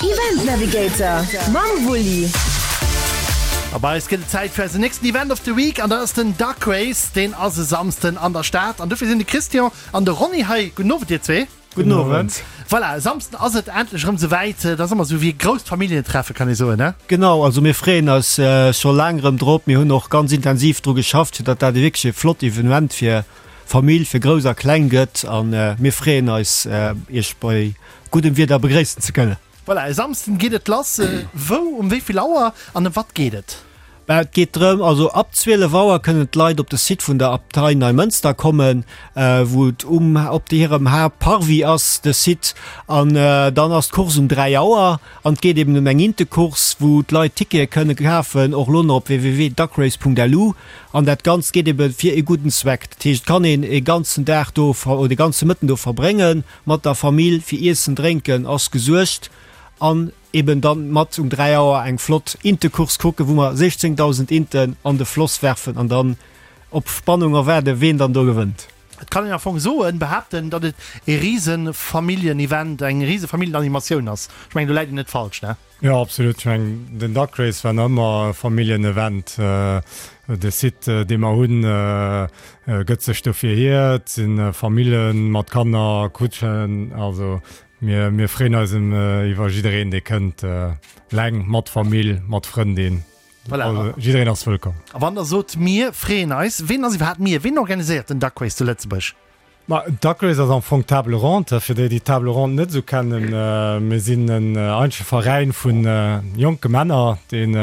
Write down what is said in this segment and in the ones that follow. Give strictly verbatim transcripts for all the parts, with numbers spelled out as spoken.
Event Navigator mam Wulli. A bei eis gëtt et Zäit fir eisen nächsten Event of the Week an dat ass den Duck Race. Deen ass e Samsden an der Stad an dofir sinn de Christian an de Ronny hei. Gudden Owend dir zwee. Gudden Owend. Voilà, e Samsden ass et endlech erëm souwäit. Dat ass ëmmer esou wéi e grousst Familljentreffe kann ee soen, ne? Genau, also mir freeën eis scho laang erëm drop. Mir hunn och ganz intensiv dru geschafft, fir datt dat e wierklech e flott Evenement fir Famill, fir Grouss a Kleng gëtt. A mir freeën eis, Iech bei guddem Wieder begréissen ze kënnen. Voilà, e Samsden geet et lass. Wou, um wéi vill Auer an ëm wat geet et? Bah, et geet drëm, also ab zwielef Auer kënnen d'Leit op de Site vun der Abtei Neimënster kommen, wou et um op hirem Haaptparvis ass, de Site. An dann ass d'Course um dräi Auer an et geet eben ëm eng Intecourse, wou d'Leit Tickete kënne kafen, och elo nach op www.duckrace.lu. An dat Ganzt geet ebe fir e gudden Zweck. Dat heescht, et kann een e ganzen Dag do oder e ganze Mëtten do verbrénge mat der Famill, fir Iessen, Drénken ass gesuergt. An eben dann mat um dräi Auer eng flott Intecourse kucken, wou mer siechzéngdausend Inten an de Floss werfen an dann op Spannung erwaarden, ween dann do gewënnt. Et kann een am Fong soen, behaapten, datt et e rise Familljen-Event, eng rise Familljenanimatioun ass. Ech mengen, do läit een net falsch, ne? Jo, absolut. Ech mengen, den Duck Race war nach ëmmer e Familljen-Event. De Site, dee mer hunn, gëtt sech dofir hier. Et si Famille mat Kanner, Kutschen, also Mir, mir freeën eis iwwer jiddereen, dee kënnt, eleng, mat Famill, mat Frëndin. Voilà. Also, jiddereen ass wëllkomm. A wann Der sot, mir freeën eis, ween ass iwwerhaapt mir? Ween organiséiert den Duck Race zu Lëtzebuerg? Ma Duck Race ass am Fong d'Table Ronde. Fir déi, déi d'Table Ronde net esou kennen, mir sinn en eenzege Veräin vu jonke Männer, deen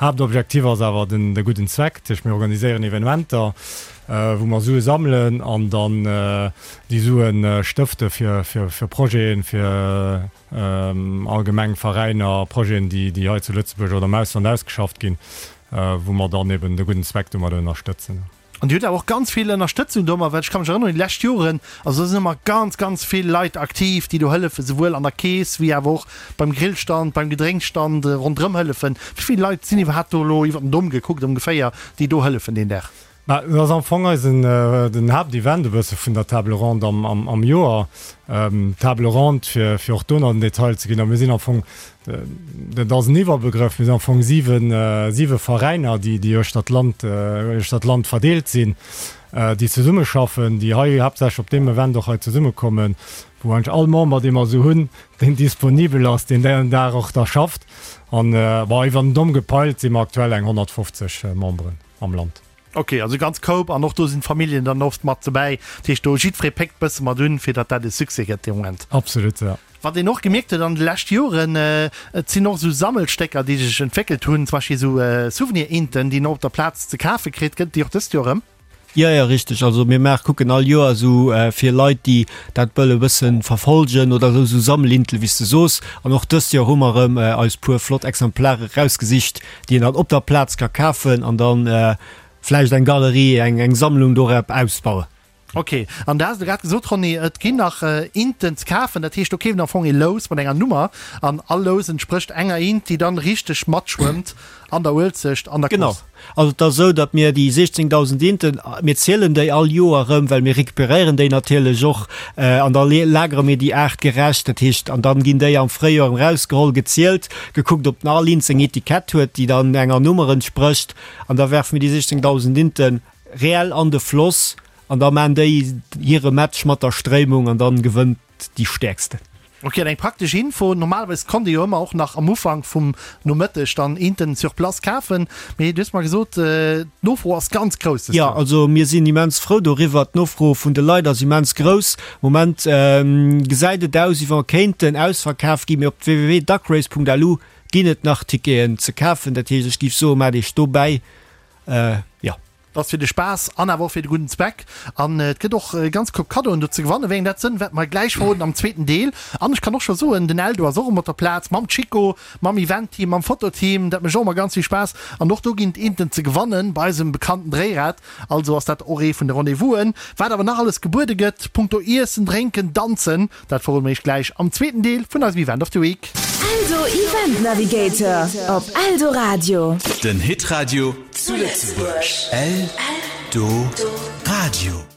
Haaptobjektiv ass awer den de gudden Zweck. Dat heescht, mir organiséieren Evenementer, wou mer Sue sammelen an dann déi Sue stëfte fir fir Projeten, fir allgemeng Veräiner, Projeten, déi déi hei zu Lëtzebuerg oder am Ausland ausgeschafft ginn, wou mer dann eben de gudden Zweck domat ënnerstëtzen. An Dir hutt awer och ganz vill Ënnerstëtzung domat, well ech ka mech erënneren, déi lescht Joren, also do sinn ëmmer ganz, ganz vill Leit aktiv, déi do hëllefen, souwuel an der Keess wéi awer och beim Grillstand, beim Gedrénksstand, ronderëm hëllefen. Wéi vill Leit sinn iwwerhaapt do elo iwwer den Domm gekuckt ongeféier, déi do hëllefen deen Dag? Mä dat ass am Fong eisen, den Haaptevent e bësse vun der Table ronde am, am, am Joer. Table ronde, fir, fir och do nach den Detail ze ginn, a mir sinn am Fong, Dat ass en Iwwerbegrëff. Mir sinn am Fong siwen, siwe Veräiner, déi, déi uechter d'Land, uechter d'Land verdeelt sinn, déi zesummeschaffen, déi hei haaptsächlech op deem Event och hei zesummekommen, wou eigentlech all Member, dee mer esou hunn, deen disponibel ass, deen deen Dag och da schafft. An, bon, iwwer den Domm gepeilt si mer aktuell eng honnertfofzeg Memberen am Land. Ok, also ganz Koup an och do sinn d'Familljen dann oft mat dobäi. Dat heescht do jiddweree péckt bësse mat un, fir datt dat e Succès gëtt dee Moment. Absolut, ja. Wat een och gemierkt huet an de lescht Joren, et sinn och esou Sammelstécker, déi sech entwéckelt hunn, zum Beispill esou Souvenir-Inten, déi een och op der Plaz ze kafe kritt. Gëtt et déi och dëst Joer erëm? Jo, jo, richteg. Also mir maache kucken all Joer esou fir Leit, déi dat wëlle bësse verfolgen oder esou, esou Sammelintel, wéi s de soos. An och dëst Joer hu mer erëm eis puer flott Exemplare erausgesicht, déi een dann op der Plaz ka kafen an dann vläicht eng Galerie, eng eng Sammlung dorop ausbauen. Ok, an du has elo grad gesot, Ronny, et ginn nach Inten ze kafen. Dat heescht, do keeft een am Fong ee Lous mat enger Nummer an all Lous entsprécht enger Int, déi dann richteg matschwëmmt an der Uelzecht an der Genau. Course. Also et ass esou, datt mir déi siechzéngdausend Inten, mir zielen déi all Joer erëm, well mir recuperéieren déi natierlech och an da lagere mir déi aartgerecht. Dat heescht, an dann ginn déi am Fréijoer erëm erausgeholl, gezielt, gekuckt, ob all Int seng Etikett huet, déi dann enger Nummer entsprécht. An da werfe mir déi siechzéngdausend Inten reell an de Floss an da maan déi hire Match mat der Stréimung an dann gewënnt déi Stäerksten. Ok, an eng praktesch Info, normalerweis konnt ee jo ëmmer och nach am Ufank vum Nomëtteg dann Inten sur place kafen, mee du hues mer gesot, d'Nofro ass ganz grouss dëst Jo, Joer. also mir sinn immens frou doriwwer. D'Nofro vun de Leit ass immens grouss. Moment gesäit et aus, wéi wa kéinten ausverkaf ginn, mee op www.duckrace.lu Ginn et nach Ticketen ze kafen? Dat heescht, ech géif soen, maacht iech dobäi. Jo. Dat ass fir de Spaass an awer och fir de gudden Zweck. An et gëtt och e ganz Koup Kaddoen do ze gewannen. Wéi eng dat sënn, wäerte mer gläich verroden am zweeten Deel. An ech kann och scho soen, den Eldo ass och erëm op der Plaz mam Chico, mam Event-Team, mam Fototeam. Dat mécht och ëmmer ganz vill Spaass. An och do ginn et Inten ze gewannen bei eisem bekannten Dréirad. Also ass dat och ee vun de Rendez-vousen. Wat awer nach alles gebuede gëtt punkto Iessen, Drénken, Danzen, dat verrode mer iech gläich am zweeten Deel vun eisem Event of the Week. Eldo Event Navigator op Eldoradio. Den Hitradio zu Lëtzebuerg. Eldoradio.